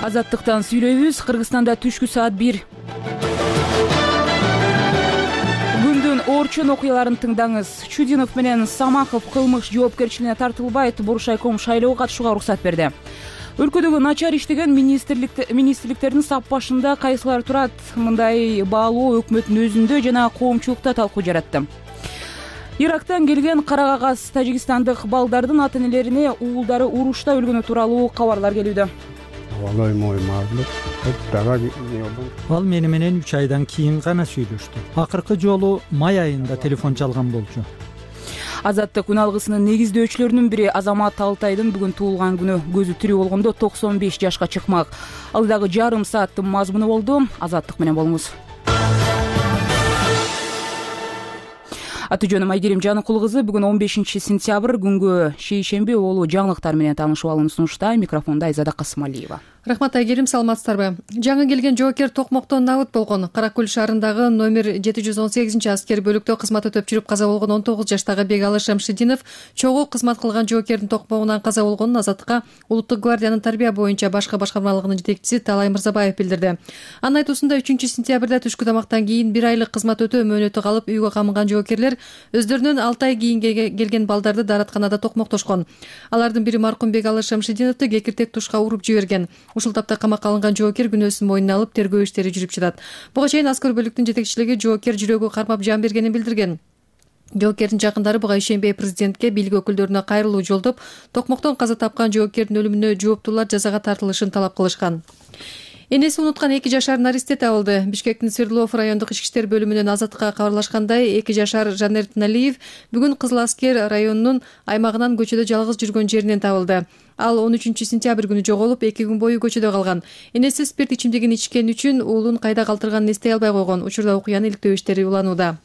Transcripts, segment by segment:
Азаттыктан сүйлөйбүз. Кыргызстанда түшкү саат 1. Күндүн орчун окуяларын тыңдаңыз. Чудинов менен Самахов кылмыш жоопкерчилигине тартылбайт. Буршайком шайлоого катышууга уруксат берди. Өлкөдөгү начар иштеген министрликтердин сап башында кайсылар турат? Мындай баалоо өкмөттүн өзүндө жана коомчулукта талкуу жаратты. Ирактан келген кара кагаз тажикстандык балдардын ата-энелерине уулдары урушта өлгөнү тууралуу кабарлар келүүдө. Ал мени менен 3 айдан кийин гана сүйлөштү. Акыркы жолу май айында телефон чалган болчу. Азаттык күн алгысынын негиздөөчүлөрүнүн бири Азамат Алтайдын бүгүн туулган күнү. Көзү тирүү болгондо 95 жашка чыкмак. Ал дагы жарым сааттын мазмуну болду. Азаттык менен болуңуз. Аты жөнүм Айгерим Жаныкул кызы. Бүгүн 15 сентябрь күнгө шейшемби болуу жаңылыктар менен таанышып алууну сунуштайм. Микрофонда Айзада Касымалиева. Рахмат Айгерим, саламатсыздарбы? Жаңы келген жоокер Токмоктон набыт болгон. Каракөл шаарындагы номер 718 аскер бөлүктө кызмат өтөп жүрүп каза болгон 19 жаштагы Бегалы Шамшидинов чогуу кызмат кылган жоокердин токмогунан каза болгонун Азаттыкка Улуттук гвардиянын тарбия боюнча башкы башкармалыгынын жетекчиси Талай Мырзабаев билдирди. Анын айтуусунда 3-сентябрда түшкү тамактан кийин 1 айлык кызмат өтөө мөөнөтү калып үйгө камыган жоокерлер өздөрүнүн 6 ай кийин келген балдарды дааратканада токмоктошкон. Алардын бири маркум Бегалы Шамшидиновду кекиртек тушка уруп жиберген. Ушул тапта камакка алынган жоокер күнөөсүн мойнуна алып тергөө иштери жүрүп жатат. Буга чейин аскер бөлүктүн жетекчилиги жоокер жүрөгү кармап жан бергенин билдирген. Жоокердин жакындары буга ишенбей президентке, бийлик өкүлдөрүнө кайрылуу жолдоп, Токмоктон каза тапкан жоокердин өлүмүнө жооптуулар жазага тартылышын талап кылышкан. Энеси унуткан 2 жашар наристе табылды. Бишкектин Свердлов райондук ички иштер бөлүмүнөн Азаттыкка кабарлашкандай, 2 жашар Жанер Налиев бүгүн Кызыл Аскер районунун аймагынан көчөдө жалгыз жүргөн жеринен табылды. Ал 13 сентябрь күнү жоголуп, 2 күн бою көчөдө калган. Энеси спирт ичимдигин ичкен үчүн уулун кайда калтырганын эстей албай койгон. Учурда окуяны иликтөө иштери уланууда.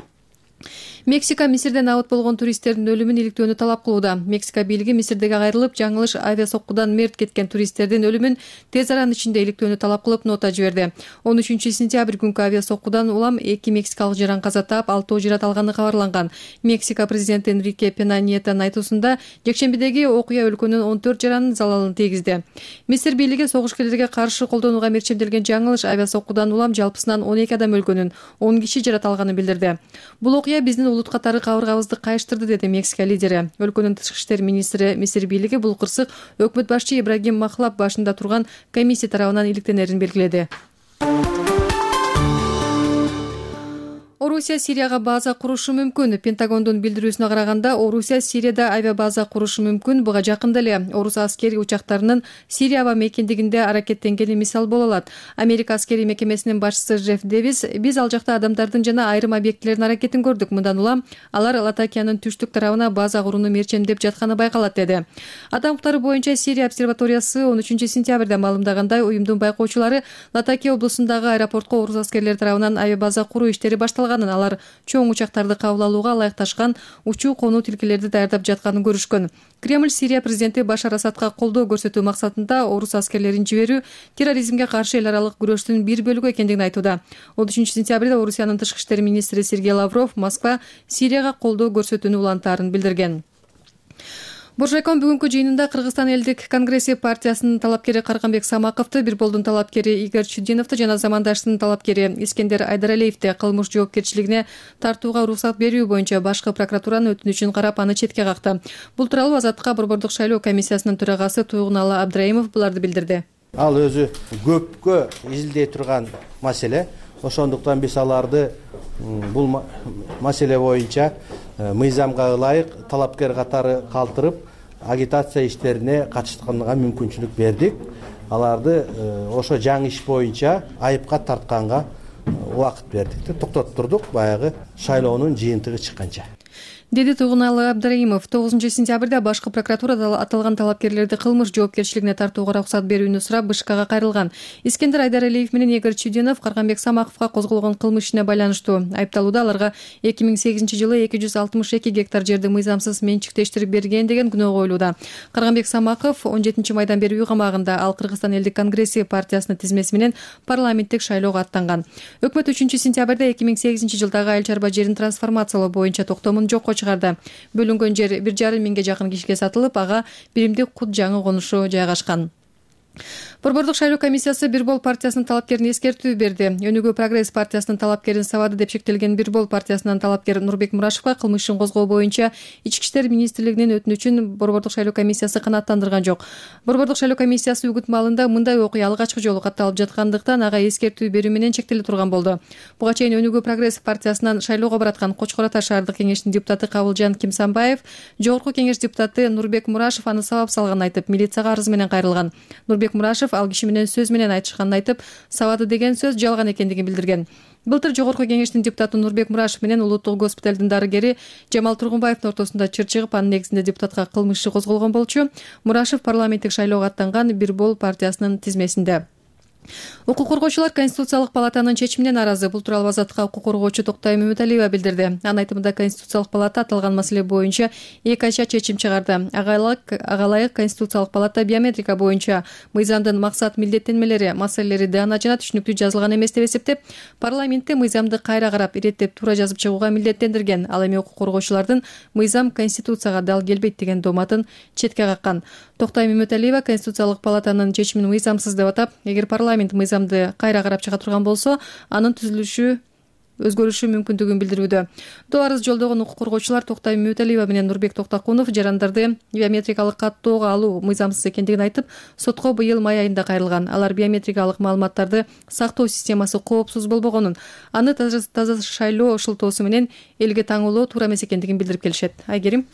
Мексика Мисирден набыт болгон туристтердин өлүмүн иликтөөнү талап кылууда. Мексика бийлиги Мисирдеги кайрылып, жаңылыш авиасоккудан мерт кеткен туристтердин өлүмүн тез аранын ичинде иликтөөнү талап кылып нота жиберди. 13 сентябрь күнкү авиасоккудан улам 2 мексикалык жаран каза таап, 6 жарат алганы кабарланган. Мексика президенти Энрике Пена Ниетонун айтуусунда, жекшембидеги окуя өлкөнүн 14 жаранын залалын тийгизди. Мисир бийлиги согушкерлерге каршы колдонууга мерчемделген жаңылыш авиасоккудан улам жалпысынан 12 адам өлгөнүн, 10 киши жарат алганын билдирди. Бул окуя биздин улут катары кабыргабызды кайыштырды, деди Мексика лидери. Өлкөнүн тышкы иштер министри Мисир бийлиги бул кырсык өкмөт башчы Ибрагим Махлаб башында турган комиссия тарабынан иликтенерин белгиледи. Орусия Сирияга база курушу мүмкүн. Пентагондун билдирүүсүнө караганда, Орусия Сирияда авиабаза курушу мүмкүн. Буга жакында эле орус аскери учактарынын Сирия аба мекендигинде аракеттенгени мисал боло алат. Америка аскери мекемесинин башчысы Джефф Дэвис: "Биз ал жакта адамдардын жана айрым объектилердин аракетин көрдүк. Мындан улам алар Латакиянын түштүк тарабына база курууну мерчемдеп жатканы байкалат", деди. Адам укуктары боюнча Сирия обсерваториясы 13 сентябрда маалымдагандай, уюмдун байкоочулары Латакия облусундагы аэропортко орус аскерлери тарабынан авиабаза куруу иштери башталган. Алар чоң учактарды кабыл алууга ылайыкташкан учуу конуу тилкелерди даярдап жатканын көрүшкөн. Кремль Сирия президенти Башар Асадка колдоо көрсөтүү максатында орус аскерлерин жиберүү терроризмге каршы эл аралык күрөштүн бир бөлүгү экендигин айтууда. 13 сентябрда Орусиянын тышкы иштер министри Сергей Лавров Москва Сирияга колдоо көрсөтүүнү улантаарын билдирген. Буршайком бүгүнкү жыйынында Кыргызстан элдик конгресси партиясынын талапкери Карганбек Самаковду, Бирболдун талапкери Игорь Чудиновду жана замандаштын талапкери Искендер Айдаралиевди кылмыш жоопкерчилигине тартууга уруксат берүү боюнча башкы прокуратуранын өтүнүчүн карап, аны четке какты. Бул тууралуу Азаттыкка Борбордук шайлоо комиссиясынын төрагасы Туйгуналы Абдрайымов буларды билдирди. Ал өзү көпкө изилдей турган маселе. Ошондуктан биз аларды бул маселе боюнча мыйзамга ылайык талапкер катары калтырып, агитация иштерине катышканга мүмкүнчүлүк бердик. Аларды ошо жаңы иш боюнча айыпка тартканга убакыт бердик. Токтоттурдук баягы шайлоонун жыйынтыгы чыкканча. Деди Туйгуналы Абдрайымов. 9 сентябрда башкы прокуратура аталган талапкерлерди кылмыш жоопкерчилигине тартууга уруксат берүүнү сурап Бышкакка кайрылган. Искендер Айдаралиев менен Игорь Чудинов Карганбек Самаковго козголгон кылмыш ишине байланыштуу. Айыпталууда аларга 2008-жылы 262 гектар жерди мыйзамсыз менчиктештирип берген деген күнөө коюлууда. Карганбек Самаков 17 майдан бери үй камагында. Ал Кыргызстан элдик конгресси партиясынын тизмеси менен парламенттик шайлоого аттанган. Өкмөт 3 сентябрда 2008-жылдагы айыл чарба жерин трансформациялоо боюнча токтомун жокко чыгарды. Бөлүнгөн жер 1,5 миңге жакын кишиге сатылып, ага биримдик кут жаңы конушу жайгашкан. Борбордук шайлоо комиссиясы Бир бол партиясынын талапкерин эскертүү берди. Өнүгүү прогресс партиясынын талапкерин сабады деп шектелген Бир бол партиясынын талапкер Нурбек Мурашевга кылмыш ишин козгоо боюнча Ички иштер министрлигинин өтүнүчүн Борбордук шайлоо комиссиясы канааттандырган жок. Борбордук шайлоо комиссиясы үгүт маалында мындай окуя алгачкы жолу катталып жаткандыктан ага эскертүү берүү менен чектеле турган болду. Буга чейин Өнүгүү прогресс партиясынан шайлоого бараткан Кочкор Ата шаардык кеңештин депутаты Кабылжан Кимсанбаев Жогорку кеңеш депутаты Нурбек Мурашев аны сабап салганын айтып, милицияга арыз менен кайрылган. Нурбек Мурашев ал киши менен сөз менен айтышканын айтып, сабады деген сөз жалган экендигин билдирген. Былтыр Жогорку кеңештин депутаты Нурбек Мурашев менен Улуттук госпиталдын дарыгери Жамал Тургунбаевдин ортосунда чыр чыгып, анын негизинде депутатка кылмыш иши козголгон болчу. Мурашев парламенттик шайлоого аттанган Бир бол партиясынын тизмесинде. Укук коргоочулар Конституциялык палатанын чечимине нааразы. Бул тууралуу Азаттыкка укук коргоочу Токтой Мөмөталиева билдирди. Анын айтымында Конституциялык палата аталган маселе боюнча эки ача чечим чыгарды. Ага ылайык Конституциялык палата биометрика боюнча мыйзамдын максат милдеттенмелери маселелери даана жана түшүнүктүү жазылган эмес деп эсептеп, парламентте мыйзамды кайра карап, иреттеп туура жазып чыгууга милдеттендирген. Ал эми укук коргоочулардын мыйзам Конституцияга дал келбейт деген дооматын четке каккан. Токтой Мөмөталиева Конституциялык палатанын чечимин мыйзамсыз деп атап, эгер парламент мыйзамды кайра карап чыга турган болсо, анын түзүлүшү өзгөрүшү мүмкүндүгүн билдирүүдө. Доо арыз жолдогон укук коргоочулар Токтой Мөмөталиева менен Нурбек Токтокунов жарандарды биометрикалык каттоого алуу мыйзамсыз экендигин айтып, сотко быйыл май айында кайрылган. Алар биометрикалык маалыматтарды сактоо системасы коопсуз болбогонун, аны таза шайлоо шылтоосу менен элге таңуулоо туура эмес экендигин билдирип келишет. Айгерим.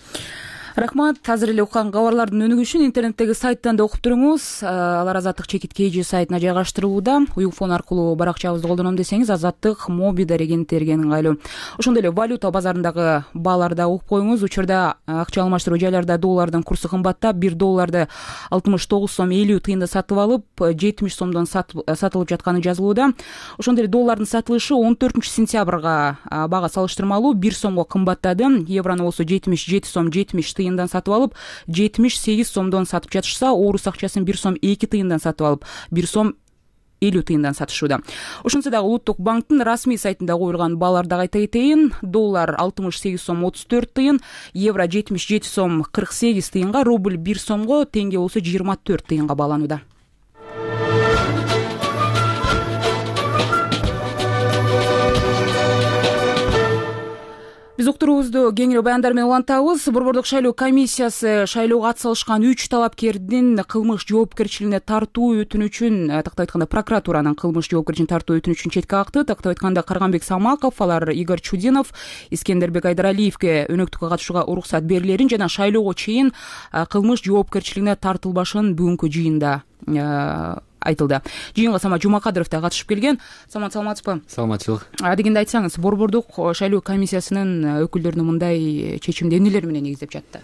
Рахмат. Азыр эле уккан кабарлардын өнүгүшүн интернеттеги сайттан да окуп туруңуз. Алар Азаттык чекит KG сайтына жайгаштырылууда. Уюлфон аркылуу баракчабызды колдоном десеңиз, Азаттык моби дарегенттерге ыңгайлуу. Ошондой эле валюта базарындагы бааларды да угуп коюңуз. Учурда акча алмаштыруу жайларда доллардын курсу кымбаттап, 1 долларды 69 сом 50 тыйында сатып алып, 70 сомдон сатылып жатканы жазылууда. Ошондой эле доллардын сатылышы 14-сентябрга бага салыштырмалуу 1 сомго кымбаттады. Еврону болсо 77 сом 70 тыйындан сатып алып, 78 сомдон сатып жатышса, орус акчасын 1 сом 2 тыйындан сатып алып, 1 сом 50 тыйындан сатышууда. Ошентсе дагы Улуттук банктын расмий сайтында коюлган бааларды айта кетейин. Доллар 68 сом 34 тыйын, евро 77 сом 48 тыйынга, рубль 1 сомго, теңге болсо 24 тыйынга бааланууда. Биз уктуруубузду кеңири баяндар менен улантабыз. Борбордук шайлоо комиссиясы шайлоого ат салышкан 3 талапкердин кылмыш жоопкерчилигине тартуу өтүнүчүн, тактап айтканда прокуратуранын кылмыш жоопкерчилигине тартуу өтүнүчүн четке какты. Тактап айтканда Карганбек Самаков, алар Игорь Чудинов, Искендербек Айдаралиевге өнөктүккө катышууга уруксат берилерин жана шайлоого чейин кылмыш жоопкерчилигине тартылбашын бүгүнкү жыйында айтылды. Жыйынга Самат Жумакадыров да катышып келген. Самат, саламатсызбы? Саламатчылык. Дегенде айтсаңыз, Борбордук шайлоо комиссиясынын өкүлдөрүнүн мындай чечимди эмнелер менен негиздеп жатты?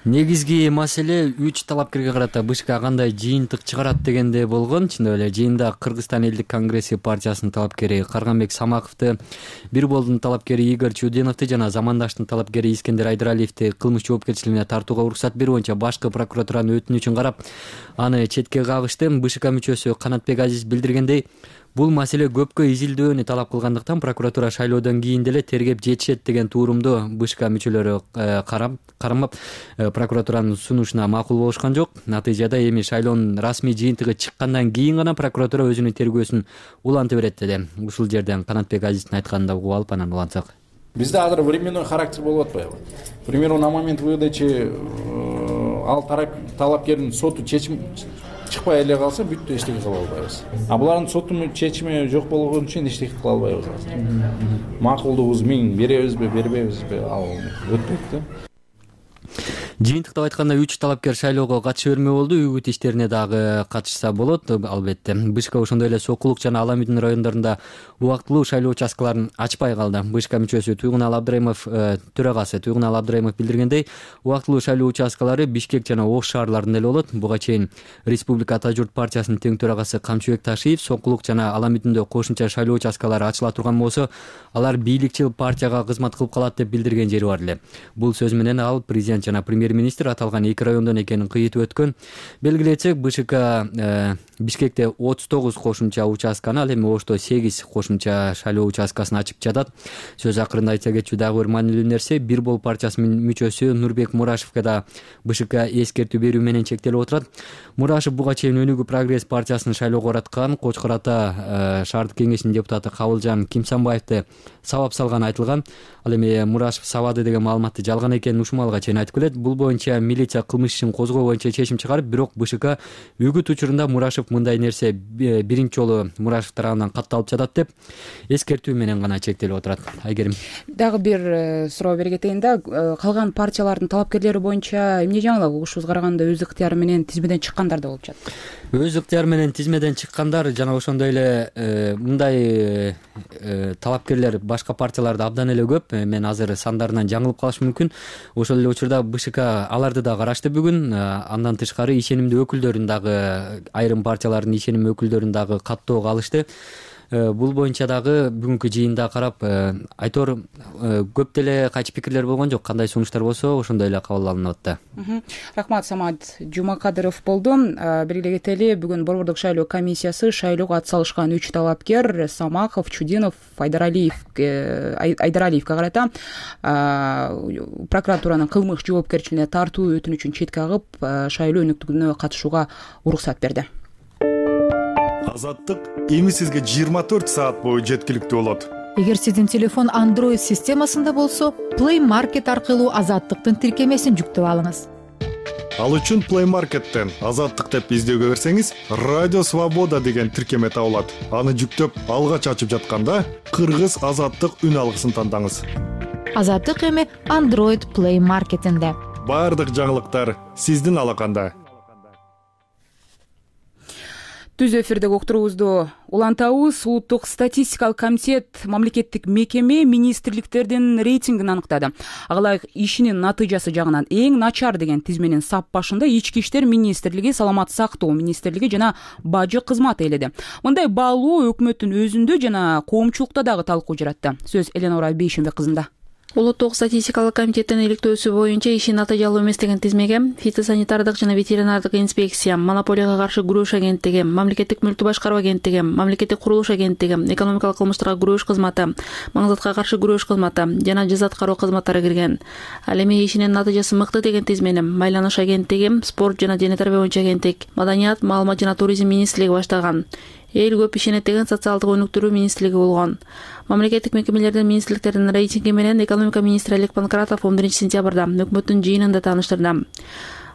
Негизги маселе 3 талапкерге карата БШК кандай жыйынтык чыгарат дегенде болгон. Чындап эле жыйында Кыргызстан элдик конгресси партиясынын талапкери Карганбек Самаковду, Бир болдун талапкери Игорь Чудиновду жана Замандаштын талапкери Искендер Айдаралиевди кылмыш жоопкерчилигине тартууга уруксат берүү боюнча башкы прокуратуранын өтүнүчүн карап, аны четке кагышты. БШК мүчөсү Канатбек Азиз билдиргендей, бул маселе көпкө изилдөөнү талап кылгандыктан прокуратура шайлоодон кийин деле тергеп жетишет деген туурумду БШК мүчөлөрү кармап прокуратуранын сунушуна макул болушкан жок. Натыйжада эми шайлоонун расмий жыйынтыгы чыккандан кийин гана прокуратура өзүнүн тергөөсүн улантып берет деди. Ушул жерден Канатбек Азиздин айтканын да угуп алып анан улантсак. Бизде азыр временной характер болуп атпайбы? К примеру, на момент выдачи ал талапкердин соту чечим чыкпай эле калса, бүттү, эчтеке кыла албайбыз. А булардын сотунун чечими жок болгон үчүн эчтеке кыла албайбыз. Макулдугубуз 1000 беребизби, бербейбизби, ал өтпөйт да. Жыйынтыктап айтканда 3 талапкер шайлоого катыша бермөө болду. Үгүт иштерине дагы катышса болот, албетте. БШК ошондой эле Сокулук жана Аламүдүн райондорунда убактылуу шайлоо участкаларын ачпай калды. БШК мүчөсү Туйгунал Абдрайымов, төрагасы Туйгунал Абдрайымов билдиргендей, убактылуу шайлоо участкалары Бишкек жана Ош шаарларында эле болот. Буга чейин Республика Ата журт партиясынын тең төрагасы Камчыбек Ташиев Сокулук жана Аламүдүндө кошумча шайлоо участкалары ачыла турган болсо, алар бийликчил партияга кызмат кылып калат деп билдирген жери бар эле. Бул сөз менен ал президент жана премьер-министр аталган 2 райондон экенин кыйытып өткөн. Белгилечек БШК Бишкекте 39 кошумча участканы, ал эми Ошто 8 кошумча шайлоо участкасын ачып жатат. Сөз акырында айта кетчү дагы бир маанилүү нерсе, Бир бол партиясынын мүчөсү Нурбек Мурашевке да БШК эскертүү берүү менен чектелип отурат. Мурашев буга чейин Өнүгүү прогресс партиясынын шайлоого араткан Кочкор Ата шаардык кеңешинин депутаты Кабылжан Кимсанбаевди сабап салганы айтылган. Ал эми Мурашев сабады деген маалыматты жалган экенин ушмалга чейин айтып келет. Бул боюнча милиция кылмыш ишин козгоо боюнча чечим чыгарып, бирок БШК үгүт учурунда Мурашев мындай нерсе биринчи жолу Мурашев тарабынан катталып жатат деп эскертүү менен гана чектелип отурат. Айгерим, дагы бир суроо бере кетейин да, калган партиялардын талапкерлери боюнча эмне жаңылык угушубузга караганда өз ыктыяры менен тизмеден чыккандар да болуп жатат? Өз ыктыяры менен тизмеден чыккандар жана ошондой эле мындай талапкерлер башка партияларда абдан эле көп. Мен азыр сандарынан жаңылып калышым мүмкүн. Ошол эле учурда БШК аларды да карашты бүгүн. Андан тышкары ишенимдүү өкүлдөрүн дагы, айрым партиялардын ишенимдүү өкүлдөрүн дагы каттоого алышты. Бул боюнча дагы бүгүнкү жыйында карап, айтор көп деле кайчы пикирлер болгон жок. Кандай сунуштар болсо ошондой эле кабыл алынып атты. Рахмат, Самат Жумакадыров болду. Белгилей кетели, бүгүн Борбордук шайлоо комиссиясы шайлоого ат салышкан 3 талапкер Самахов, Чудинов, Айдаралиевге карата прокуратуранын кылмыш жоопкерчилигине тартуу өтүнүчүн четке агып, шайлоо өнүктүгүнө катышууга уруксат берди. Азаттык эми сизге 24 саат бою жеткиликтүү болот. Эгер сиздин телефон Android системасында болсо, Play Market аркылуу Азаттыктын тиркемесин жүктөп алыңыз. Ал үчүн Play Market'тен Азаттык деп издөөгө берсеңиз, Радио Свобода деген тиркеме табылат. Аны жүктөп алгач ачып жатканда Кыргыз Азаттык үн алгысын тандаңыз. Азаттык эми Android Play Market'инде. Бардык жаңылыктар сиздин алаканда. Түз эфирдеги уктуруубузду улантабыз. Улуттук статистикалык комитет мамлекеттик мекеме министрликтердин рейтингин аныктады. Ага ылайык ишинин натыйжасы жагынан эң начар деген тизменин сап башында Ички иштер министрлиги, Саламат сактоо министрлиги жана Бажы кызматы ээледи. Мындай баалоо өкмөттүн өзүндө жана коомчулукта дагы талкуу жаратты. Сөз Эленора Бейшенбек кызында. Улуттук статистикалык комитеттин иликтөөсү боюнча иши натыйжалуу эмес деген тизмеге фитосанитардык жана ветеринардык инспекция, монополияга каршы күрөш агенттиги, мамлекеттик мүлктү башкаруу агенттиги, мамлекеттик курулуш агенттиги, экономикалык кылмыштарга күрөш кызматы, маңзатка каршы күрөш кызматы жана жаза аткаруу кызматтары кирген. Ал эми ишинин натыйжасы мыкты деген тизмени Майланыш агенттиги, спорт жана дене тарбия боюнча агенттик, маданият, маалымат жана туризм министрлиги баштаган. Эл көп ишенет деген социалдык өнүктүрүү министрлиги болгон. Мамлекеттик мекемелердин министрликтердин рейтинги менен экономика министри Олег Панкратов 11 сентябрда өкмөттүн жыйынында тааныштырды.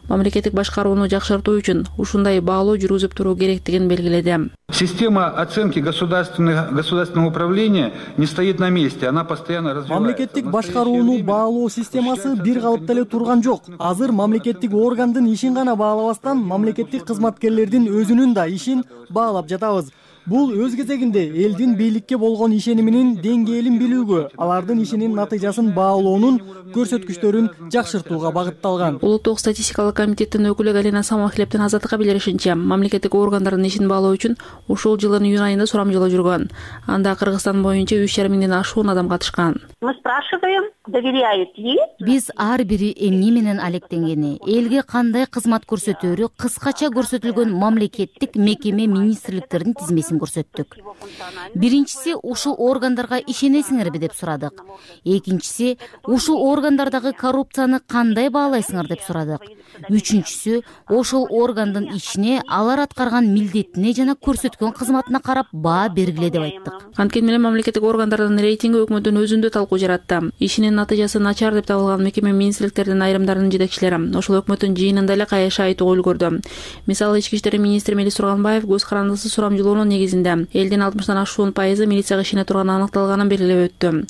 Мамлекеттик башкарууну жакшыртуу үчүн ушундай баалоо жүргүзүп туруу керектигин белгиледи. Система оценки государственного управления не стоит на месте, она постоянно развивается. Мамлекеттик башкарууну баалоо системасы бир калыпта эле турган жок. Азыр мамлекеттик органдын ишин гана баалабастан, мамлекеттик кызматкерлердин өзүнүн да ишин баалап жатабыз. Бул өз кезегинде элдин бийликке болгон ишениминин деңгээлин билүүгө, алардын ишинин натыйжасын баалоонун көрсөткүчтөрүн жакшыртууга багытталган. Улуттук статистикалык комитеттин өкүлү Галина Самахлептин Азаттыкка билдиришинче, мамлекеттик органдардын ишин баалоо үчүн ушул жылдын июнь айында сурамжылоо жүргөн. Анда Кыргызстан боюнча 3,5 миңден ашуун адам катышкан. Мы спрашиваем, доверяют ли? Биз ар бири эмне менен алектенгени, элге кандай кызмат көрсөтөөрү кыскача көрсөтүлгөн мамлекеттик мекеме министрликтердин тизмесин көрсөттүк. Биринчиси, ушул органдарга ишенесиңерби деп сурадык. Экинчиси, ушул органдардагы коррупцияны кандай баалайсыңар деп сурадык. Үчүнчүсү, ошол органдын ичине алар аткарган милдетине жана көрсөткөн кызматына карап баа бергиле деп айттык. Анткени менен мамлекеттик органдардын рейтинги өкмөттүн өзүндө талкуу жаратты. Ишинин натыйжасы начар деп табылган мекеме министрликтердин айрымдарынын жетекчилери ошол өкмөттүн жыйынында эле кайша айтууга үлгүрдү. Мисалы, Ички иштер министри Мелис Турганбаев көз карандысыз сурамжылоонун негизинде элдин 60-тан ашуун пайызы милицияга ишене турганы аныкталганын белгилеп өттү.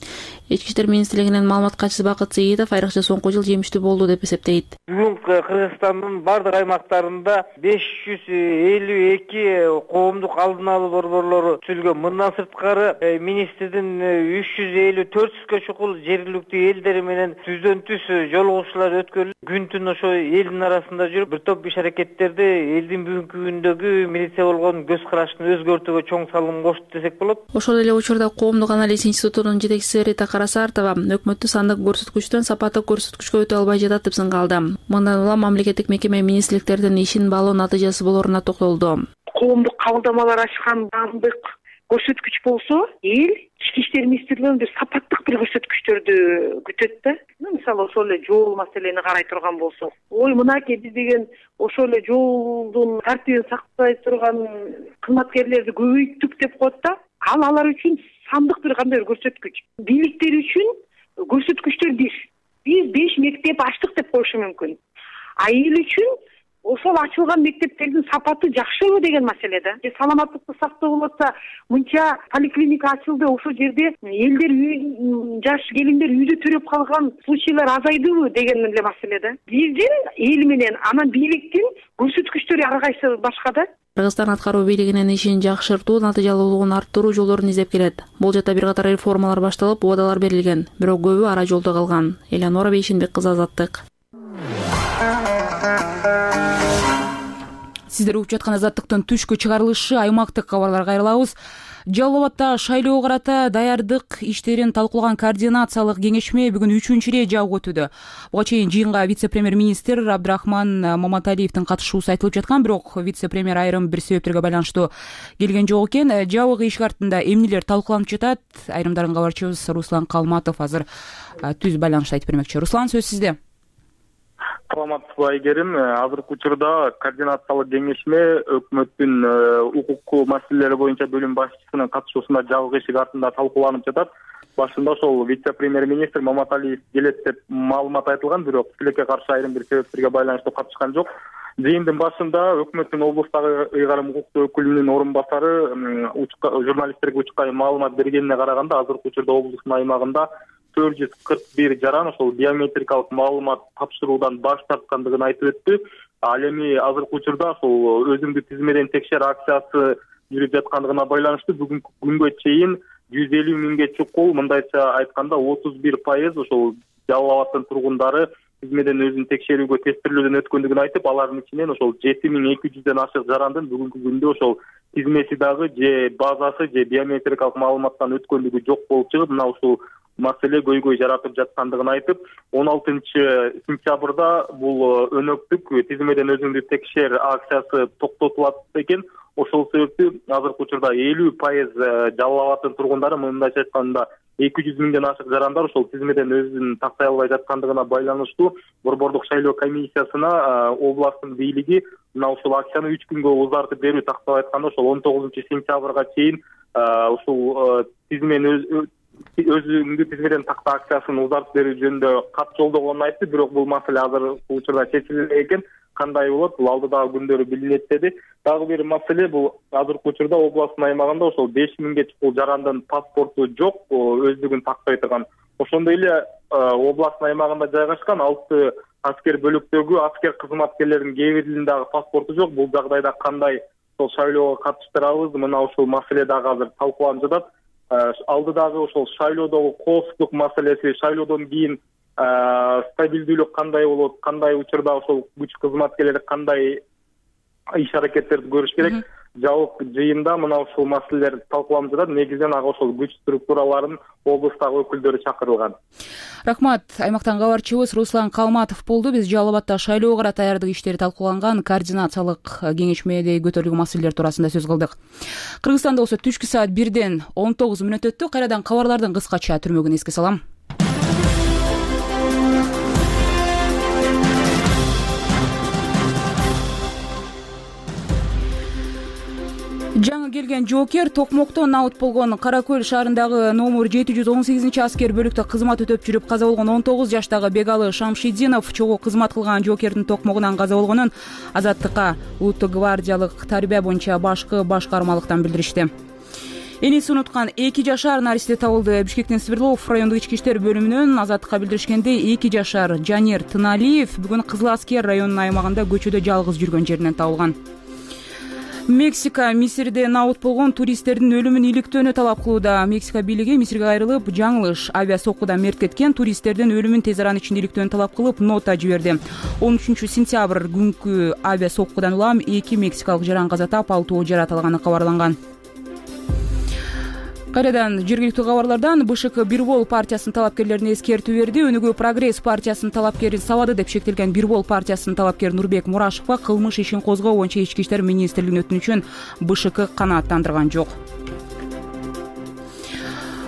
Ички иштер министрлигинин маалымат катчысы Бакыт Сейитов айрыкча соңку жыл жемиштүү болду деп эсептейт. Бүгүн Кыргызстандын бардык аймактарында 552 коомдук алдын алуу борборлору түзүлгөн. Мындан сырткары министрдин 354 чукул жергиликтүү элдери менен түздөн түз жолугушуулар өткөрүлүп, күн түн ошо элдин арасында жүрүп, бир топ иш аракеттерди элдин бүгүнкү күндөгү милиция болгон көз карашын өзгөртүүгө чоң салым кошту десек болот. Ошол эле учурда Коомдук анализ институтунун жетекчиси Рита Карасартова өкмөттү сандык көрсөткүчтөн сапаттык көрсөткүчкө өтө албай жатат деп сынгалды. Мындан улам мамлекеттик мекеме министрликтердин ишин баалоо натыйжасы болоруна токтолду. Коомдук кабылдамалар ачкан баамдык көрсөткүч болсо, эл ички иштер министрлигинен бир сапаттык бир көрсөткүчтөрдү күтөт да. Мисалы ошол эле жол маселени карай турган болсок, мынакей биз деген ошол эле жолдун тартибин сактай турган кызматкерлерди көбөйттүк деп коет да. Алар үчүн сандык бир кандай бир көрсөткүч. Бийликтер үчүн көрсөткүчтөр биз 5 мектеп ачтык деп коюшу мүмкүн. А эл үчүн ошол ачылган мектептердин сапаты жакшыбы деген маселе да. Саламаттыкты сактоо болотса, мынча поликлиника ачылды, ошол жерде элдер жаш келиндер үйдө төрөп калган случайлар азайдыбы деген эле маселе да. Биздин эл менен анан бийликтин көрсөткүчтөрү ар кайсы башка да. Кыргызстан аткаруу бийлигинин ишин жакшыртуу, натыйжалуулугун арттыруу жолдорун издеп келет. Бул жакта бир катар реформалар башталып, убадалар берилген, бирок көбү ара жолдо калган. Элянора Бейшенбек кызы, Азаттык. Сиздер угуп жаткан Азаттыктын түшкү чыгарылышы аймактык кабарларга кайрылабыз. Жалал Абадда шайлоого карата даярдык иштерин талкуулаган координациялык кеңешме бүгүн 3-чү ирет жабык өтүүдө. Буга чейин жыйынга вице-премьер-министр Абдрахман Маматалиевдин катышуусу айтылып жаткан, бирок вице-премьер айрым бир себептерге байланыштуу келген жок экен. Жабык ишик артында эмнелер талкууланып жатат? Айрымдарын кабарчыбыз Руслан Калматов азыр түз байланышта айтып бермекчи. Руслан, сөз сизде. Саламатсызбы Айгерим? Азыркы учурда координациялык кеңешме өкмөттүн укук маселелери боюнча бөлүм башчысынын катышуусунда жабык ишик артында талкууланып жатат. Башында ошол вице-премьер-министр Маматалиев келет деп маалымат айтылган, бирок тилекке каршы айрым бир себептерге байланыштуу катышкан жок. Жыйындын башында өкмөттүн облустагы ыйгарым укуктуу өкүлүнүн орун басары журналисттерге учкай маалымат бергенине караганда, азыркы учурда облустун аймагында 441 жаран ошол биометрикалык маалымат тапшыруудан баш тарткандыгын айтып өттү. Ал эми азыркы учурда ошол өзүңдү тизмеден текшер акциясы жүрүп жаткандыгына байланыштуу бүгүнкү күнгө чейин 150 миңге чукул, мындайча айтканда 31% ошол Жалал Абаддын тургундары тизмеден өзүн текшерүүгө тестирлөөдөн өткөндүгүн айтып, алардын ичинен ошол 7200ден ашык жарандын бүгүнкү күндө ошол тизмеси дагы же базасы же биометрикалык маалыматтан өткөндүгү жок болуп чыгып, мына ушул маселе көйгөй жаратып жаткандыгын айтып, 16-сентябрда бул өнөктүк тизмеден өзүңдү текшер акциясы токтотулат экен. Ошол себептен азыркы учурда 50% Жалал Абаддын тургундары, мындайча айтканда 200 миңден ашык жарандар ошол тизмеден өзүн тактай албай жаткандыгына байланыштуу Борбордук шайлоо комиссиясына областтын бийлиги мына ушул акцияны 3 күнгө узартып берүү, тактап айтканда ошол 19-сентябрга чейин ушул өзүңдү тизмеден такта акциясын узартып берүү жөнүндө кат жолдогонун айтты, бирок бул маселе азыр учурда чечилбеген экен. Кандай болот, бул алдыдагы күндөрү билинет деди. Дагы бир маселе, бул азыркы учурда областтын аймагында ошол 5000ге чукул жарандын паспорту жок, өздүгүн тактай турган. Ошондой эле областтын аймагында жайгашкан 6 аскер бөлүктөгү аскер кызматкерлеринин кээ биринин дагы паспорту жок. Бул жагдайда кандай ошол шайлоого катыштырабыз, мына ушул маселе дагы азыр талкууланып жатат. Алдыдагы ошол шайлоодогу коопсуздук маселеси, шайлоодон кийин стабилдүүлүк кандай болот, кандай учурда ошол күч кызматкерлери кандай иш аракеттерди көрүш керек. Жабык жыйында мына ушул маселелер талкууланып жатат. Негизинен ага ошол күч структураларынын облустагы өкүлдөрү чакырылган. Рахмат. Аймактан кабарчыбыз Руслан Калматов болду. Биз Жалал Абадда шайлоого карата даярдык иштери талкууланган координациялык кеңешмеде көтөрүлгөн маселелер туурасында сөз кылдык. Кыргызстанда болсо түшкү саат 1-ден 19 мүнөт өттү. Кайрадан кабарлардын кыскача түрмөгүн эске салам. Жаңы келген жоокер Токмоктон наут болгон Кара Көл шаарындагы номер 718 аскер бөлүктө кызмат өтөп жүрүп каза болгон 19 жаштагы Бегалы Шамшидинов чогуу кызмат кылган жоокердин токмогунан каза болгонун Азаттыкка улуттук гвардиялык тарбия боюнча башкы башкармалыктан билдиришти. Эниси унуткан 2 жашар наристе табылды. Бишкектин Свердлов райондук ички иштер бөлүмүнөн Азаттыкка билдиришкендей, 2 жашар Жанер Тыналиев бүгүн Кызыл Аскер районунун аймагында көчөдө жалгыз жүргөн жеринен табылган. Мексика Мисирде набыт болгон туристтердин өлүмүн иликтөөнү талап кылууда. Мексика бийлиги Мисирге кайрылып, жаңылыш авиа соккудан мерт кеткен туристтердин өлүмүн тез арада ичинде иликтөөнү талап кылып, нота жиберди. 13-сентябрь күнкү авиа соккудан улам 2 мексикалык жаран каза таап, 6 жараталганы кабарланган. Кайрадан жергиликтүү кабарлардан БШК Бирбол партиясынын талапкерлерине эскертүү берди. Өнүгүү прогресс партиясынын талапкерин сабады деп шектелген Бирбол партиясынын талапкери Нурбек Мурашевга кылмыш ишин козгоо боюнча Ички иштер министрлигинин өтүнүчүн БШК канааттандырган жок.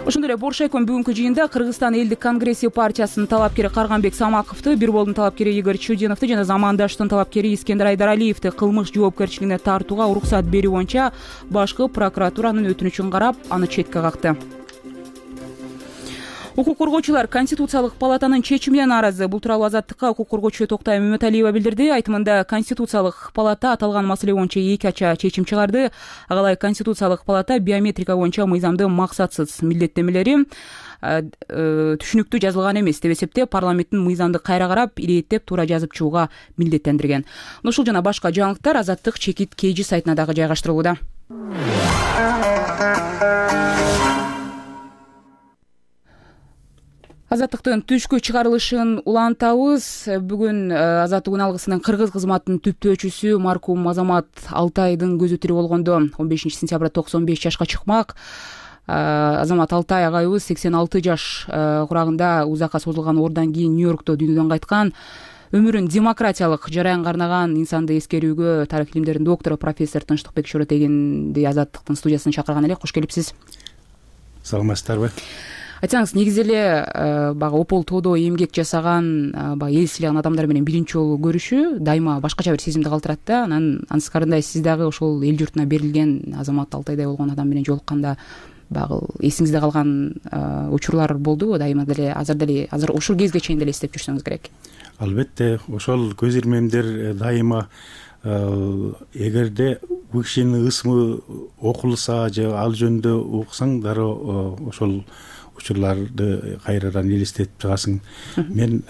Ошондой эле Боршайком бүгүнкү жыйында Кыргызстан элдик конгресси партиясынын талапкери Карганбек Самаковду, Бирболдун талапкери Игорь Чудиновду жана Замандаштын талапкери Искендер Айдаралиевди кылмыш жоопкерчилигине тартууга уруксат берүү боюнча башкы прокуратуранын өтүнүчүн карап, аны четке какты. Укук коргоочулар Конституциялык палатанын чечимине нааразы. Бул тууралуу Азаттыкка укук коргоочу Токтай Мөмөталиева билдирди. Айтымында Конституциялык палата аталган маселе боюнча эки ача чечим чыгарды. Ага ылайык Конституциялык палата биометрика боюнча мыйзамдын максатсыз милдеттемелери түшүнүктүү жазылган эмес деп эсептеп, парламенттин мыйзамды кайра карап, ирээттеп туура жазып чыгууга милдеттендирген. Ушул жана башка жаңылыктар Азаттык чекит KG сайтына дагы жайгаштырылууда. Азаттыктын түшкү чыгарылышын улантабыз. Бүгүн Азаттык алгысынын кыргыз кызматынын түптөөчүсү маркум Азамат Алтайдын көзү тирүү болгондо 15 сентябрда 95 жашка чыкмак. Азамат Алтай агайыбыз 86 жаш курагында узакка созулган оорудан кийин Нью-Йоркто дүйнөдөн кайткан. Өмүрүн демократиялык жараянга арнаган инсанды эскерүүгө тарых илимдеринин доктору профессор Тынчтыкбек Шоротегинди Азаттыктын студиясына чакырган элек. Кош келипсиз. Саламатсыздарбы? Айтсаңыз, негизи эле баягы опол тоодо эмгек жасаган, баягы эл сыйлаган адамдар менен биринчи жолу көрүшүү дайыма башкача бир сезимди калтырат да. Анан анткандай сиз дагы ошол эл журтуна берилген Азамат Алтайдай болгон адам менен жолукканда баягы эсиңизде калган учурлар болдубу? Дайыма деле азыр ушул кезге чейин деле эстеп жүрсөңүз керек. Албетте, ошол көз ирмемдер дайыма эгерде бул кишинин ысмы окулса же ал жөнүндө уксаң дароо ошол учурларды кайрадан элестетип чыгасың. Мен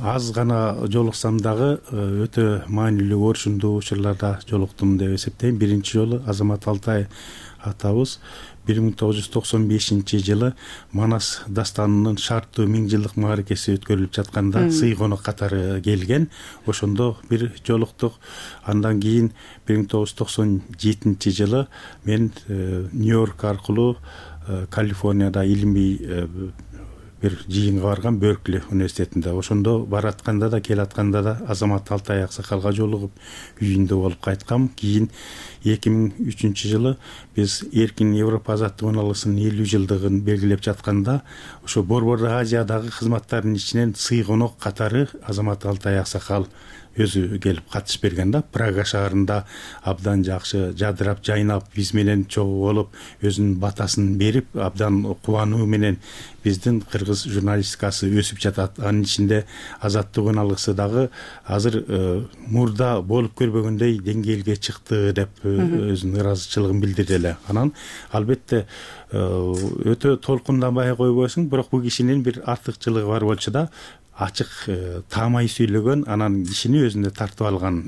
аз гана жолуксам дагы өтө маанилүү орчундуу учурларда жолуктум деп эсептейм. Биринчи жолу Азамат Алтай атабыз 1995 жылы Манас дастанынын шарттуу 1000 жылдык мааракеси өткөрүлүп жатканда сый конок катары келген. Ошондо бир жолуктук. Андан кийин 1997 жылы мен Нью-Йорк аркылуу Калифорнияда илимий бир жыйынга барган, Беркли университетинде. Ошондо баратканда да келатканда да Азамат Алтай аксакалга жолугуп үйүндө болуп кайткам. Кийин 2003 жылы биз Эркин Европа азаттык алгысынын 50 жылдыгын белгилеп жатканда, ошо Борбор Азиядагы кызматтардын ичинен сый конок катары Азамат Алтай аксакал өзү келип катышып берген да. Прага шаарында абдан жакшы жадырап жайнап биз менен чогуу болуп, өзүнүн батасын берип, абдан кубануу менен биздин кыргыз журналистикасы өсүп жатат. Анын ичинде азаттык алгысы дагы азыр мурда болуп көрбөгөндөй деңгээлге чыкты деп өзүнүн ыраазычылыгын билдирди эле. Анан албетте өтө толкунданбай койбойсуң, бирок бул кишинин бир артыкчылыгы бар болчу да, ачык таамай сүйлөгөн, анан кишини өзүнө тартып алган.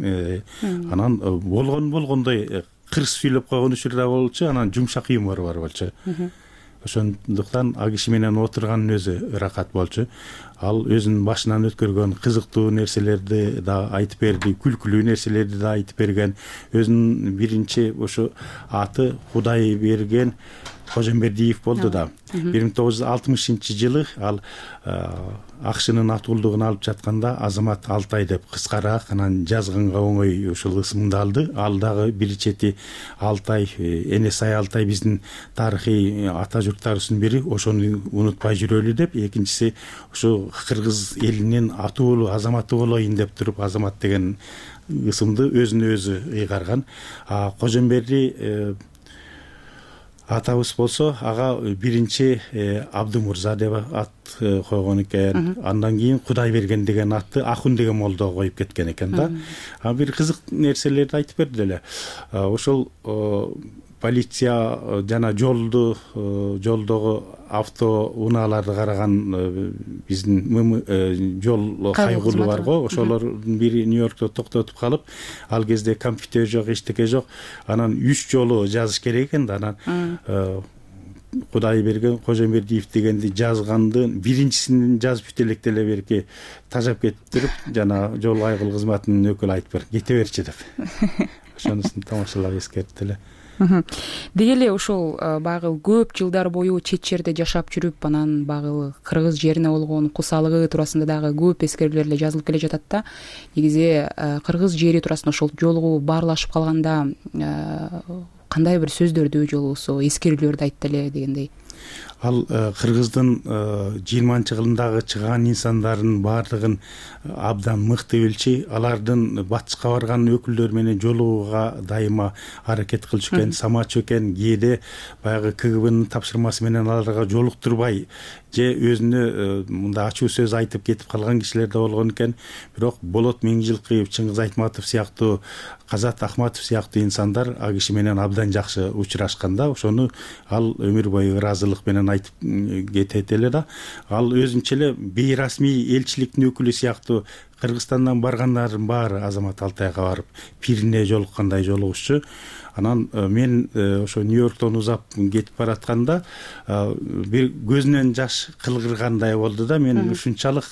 Анан болгондой кырс сүйлөп койгон учур да болчу, анан жумшак юмору бар болчу. Ошондуктан ал киши менен отурганын өзү ыракат болчу. Ал өзүнүн башынан өткөргөн кызыктуу нерселерди да айтып берди, күлкүлүү нерселерди да айтып берген. Өзүнүн биринчи ошо аты Кудай берген Кожомбердиев болду да. 1960 жылы ал акшынын атуулдугун алып жатканда Азамат Алтай деп кыскараак анан жазганга оңой ушул ысымды алды. Ал дагы бир чети Алтай, Энесай Алтай биздин тарыхый ата журттарыбыздын бири, ошону унутпай жүрөлү деп, экинчиси ошо кыргыз элинин атуулуу азаматы болоюн деп туруп Азамат деген ысымды өзүнө өзү ыйгарган. Кожомберди атабыз болсо, ага биринчи Абдымурза деп ат койгон экен. Андан кийин Кудай берген деген атты Ахун деген молдо коюп кеткен экен да. Бир кызык нерселерди айтып берди эле. Ошол полиция жана жолдогу авто унааларды караган биздин жол кайгылуу бар го, ошолордун бири Нью-Йоркто токтотуп калып, ал кезде компьютер жок, эчтеке жок. Анан 3 жолу жазыш керек экен да, анан Кудайберген Кожомбердиев дегенди жазгандын биринчисин жазып бүтө электе эле берки тажап кетип туруп, жана жол кайгылуу кызматынын өкүлү айтып бер, кете берчи деп. Ошонусун тамашалап эскертти эле. Деги эле ошол багы көп жылдар бою чет жерде жашап жүрүп, анан багы кыргыз жерине болгон кусалыгы туурасында дагы көп эскерүүлөр эле жазылып келе жатат да. Негизи кыргыз жери туурасында ошол жолугу баарлашып калганда кандай бир сөздөрдү же болбосо эскерүүлөрдү айтты эле дегендей. Ал кыргыздын 20-жылдагы чыган инсандардын баардыгын абдан мыкты билчи, алардын батышка барган өкүлдөр менен жолугууга дайыма аракет кылчу экен, самачу экен. Кээде баягы КГБнын тапшырмасы менен аларга жолуктурбай же өзүнө мындай ачуу сөз айтып кетип калган кишилер да болгон экен. Бирок Болот Миңжилкыев, Чыңгыз Айтматов сыяктуу, Казат Ахматов сыяктуу инсандар а киши менен абдан жакшы учурашканда, ошону ал өмүр бою ыраазылык менен айтып кетет эле да. Ал өзүнчө эле бейрасмий элчиликтин өкүлү сыяктуу Кыргызстандан баргандардын баары Азамат Алтайга барып пирине жолуккандай жолугушчу. Анан мен ошо Нью-Йорктон узап кетип баратканда бир көзүнөн жаш кылгыргандай болду да. Мен ушунчалык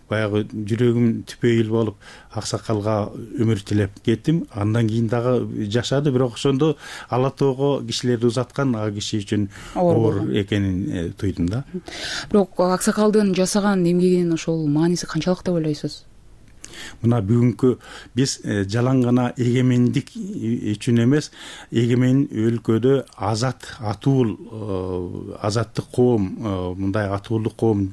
баягы жүрөгүм түпөйүл болуп аксакалга өмүр тилеп кеттим. Андан кийин дагы жашады, бирок ошондо Ала Тоого кишилерди узаткан а киши үчүн оор экенин туйдум да. Бирок аксакалдын жасаган эмгегинин ошол мааниси канчалык деп ойлойсуз? Мына бүгүнкү биз жалаң гана эгемендик үчүн эмес, эгемен өлкөдө азат, атуул, азаттык коом, мындай атуулдук коом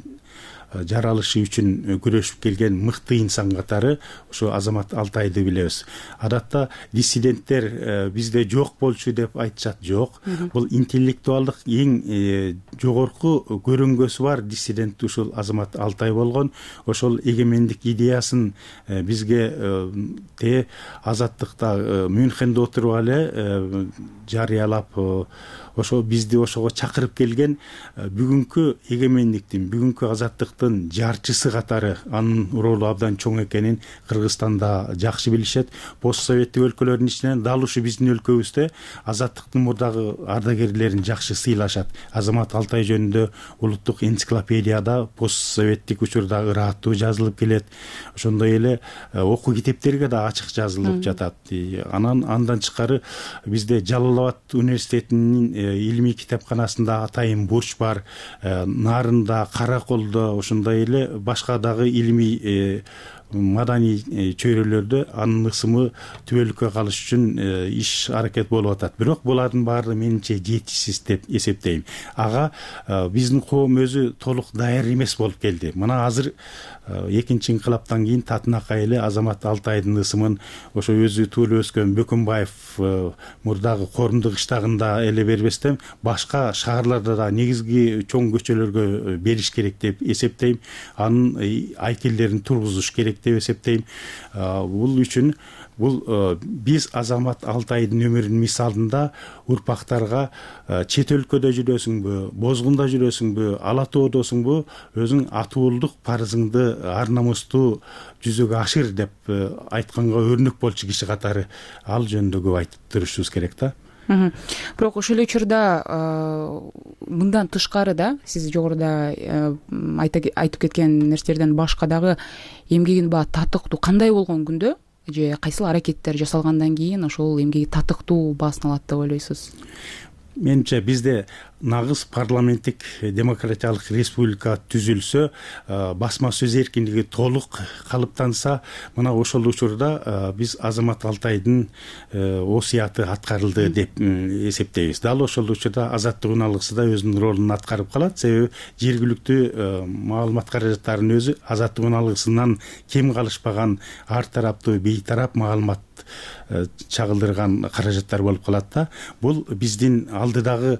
жаралышы үчүн күрөшүп келген мыкты инсан катары ошо Азамат Алтайды билебиз. Адатта диссиденттер бизде жок болчу деп айтышат. Жок. Бул интеллектуалдык эң жогорку көрүнгөсү бар диссидент ушул Азамат Алтай болгон. Ошол эгемендик идеясын бизге азаттыкта Мюнхенде отуруп эле жарыялап, ошо бизди ошого чакырып келген бүгүнкү эгемендиктин, бүгүнкү азаттыктын жарчысы катары анын ролу абдан чоң экенин Кыргызстанда жакшы билишет. Пост советтик өлкөлөрдүн ичинен дал ушу биздин өлкөбүздө азаттыктын мурдагы ардагерлерин жакшы сыйлашат. Азамат Алтай жөнүндө улуттук энциклопедияда пост советтик учурда ыраттуу жазылып келет. Ошондой эле окуу китептерге да ачык жазылып жатат. Андан тышкары бизде Жалалабад университетинин илимий китепканасында Атайын Бурч бар, Нарында, Караколдо, ошондой эле башка дагы илимий маданий чөйрөлөрдө анын ысымы түбөлүккө калыш үчүн иш аракет болуп атат. Бирок булардын баары менимче жетишсиз деп эсептейм. Ага биздин коом өзү толук даяр эмес болуп келди. Мына азыр экинчи инкылаптан кийин Татынакай эле Азамат Алтайдын ысымын ошо өзү туулуп өскөн Бөкөнбаев мурдагы Корумдук кыштагында эле бербестен башка шаарларда да негизги чоң көчөлөргө бериш керек деп эсептейм. Анын айкелдерин тургузуш керек деп эсептейм. Бул биз Азамат Алтайдын өмүрүнүн мисалында урпактарга чет өлкөдө жүрөсүңбү, бозгунда жүрөсүңбү, Ала Тоодосуңбу, өзүң атуулдук парызыңды ар намустуу жүзөгө ашыр деп айтканга өрнөк болчу киши катары ал жөнүндө көп айтып турушубуз керек да. Бирок ошол эле учурда мындан тышкары да, сиз жогоруда айтып кеткен нерселерден башка дагы эмгегин татыктуу кандай болгон күндө же кайсыл аракеттер жасалгандан кийин ошол эмгеги татыктуу баасын алат деп ойлойсуз? Менимче бизде нагыз парламенттик демократиялык республика түзүлсө, басма сөз эркиндиги толук калыптанса, мына ошол учурда биз Азамат Алтайдын осуяты аткарылды деп эсептейбиз. Дал ошол учурда азаттык уналгысы да өзүнүн ролун аткарып калат. Себеби жергиликтүү маалымат каражаттарынын өзү азаттык уналгысынан кем калышпаган ар тараптуу бейтарап маалымат чагылдырган каражаттар болуп калат да. Бул биздин алдыдагы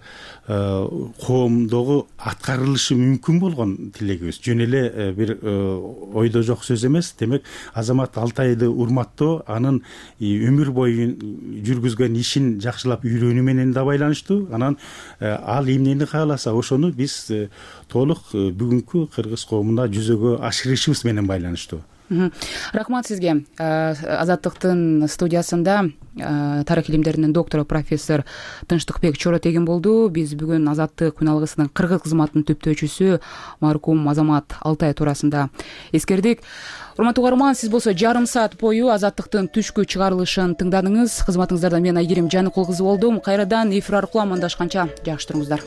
коомдогу аткарылышы мүмкүн болгон тилегибиз жөн эле бир ойдо жок сөз эмес. Демек Азамат Алтайды урматтоо анын өмүр бою жүргүзгөн ишин жакшылап үйрөнүү менен да байланыштуу. Анан ал эмнени кааласа ошону биз толук бүгүнкү кыргыз коомуна жүзөгө ашырышыбыз менен байланыштуу. Рахмат сизге. Азаттыктын студиясында тарых илимдеринин доктору профессор Тынчтыкбек Чоротегин болду. Биз бүгүн Азаттык күн алгысынын кыргыз кызматынын түптөөчүсү маркум Азамат Алтай туурасында эскердик. Урматтуу угарман, сиз болсо жарым саат бою Азаттыктын түшкү чыгарылышын тыңдадыңыз. Кызматыңыздарда мен Айгерим Жаныкул кызы болдум. Кайрадан эфир аркылуу амандашканча жакшы туруңуздар.